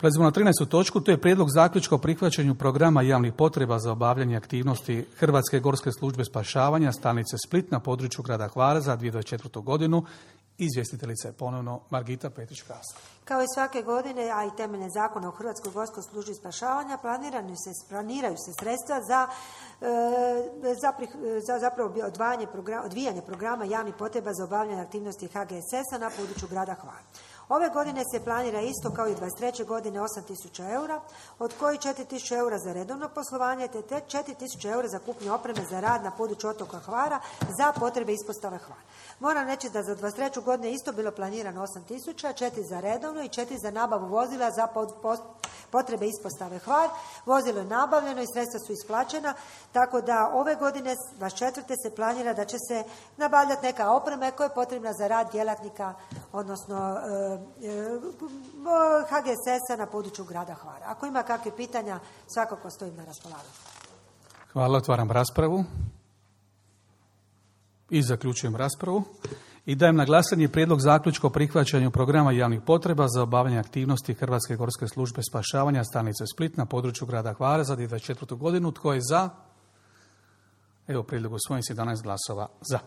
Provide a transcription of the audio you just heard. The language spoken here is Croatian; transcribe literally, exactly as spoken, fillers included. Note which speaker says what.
Speaker 1: Prelazimo na trinaestu točku, to je prijedlog zaključka o prihvaćanju programa javnih potreba za obavljanje aktivnosti Hrvatske gorske službe spašavanja stanice Split na području grada Hvara za dvije tisuće dvadeset četvrtu. godinu. Izvjestiteljica je ponovno Margita Petrić-Kraska.
Speaker 2: Kao i svake godine, a i temeljem zakona o Hrvatskoj gorskoj službi spašavanja, planiraju se, planiraju se sredstva za, e, za, za zapravo odvajanje programa, odvijanje programa javnih potreba za obavljanje aktivnosti H G S S-a na području grada Hvara. Ove godine se planira isto kao i dvadeset treće. godine osam tisuća eura, od kojih četiri tisuće eura za redovno poslovanje, te četiri tisuće eura za kupnju opreme za rad na području otoka Hvara za potrebe ispostave Hvar. Moram reći da za dvadeset treću. godinu je isto bilo planirano osam tisuća, četiri za redovno i četiri za nabavu vozila za potrebe ispostave Hvar. Vozilo je nabavljeno i sredstva su isplaćena, tako da ove godine, dvadeset četvrte. se planira da će se nabavljati neka oprema koja je potrebna za rad djelatnika, odnosno H G S S-a na području grada Hvara. Ako ima kakve pitanja, svakako stojim na raspolaganju.
Speaker 1: Hvala, otvaram raspravu. I zaključujem raspravu. I dajem na glasanje prijedlog zaključka o prihvaćanju programa javnih potreba za obavljanje aktivnosti Hrvatske gorske službe spašavanja stanice Split na području grada Hvara za dvije tisuće dvadeset četvrtu. godinu. Tko je za? Evo, prijedlog usvojen s jedanaest glasova za.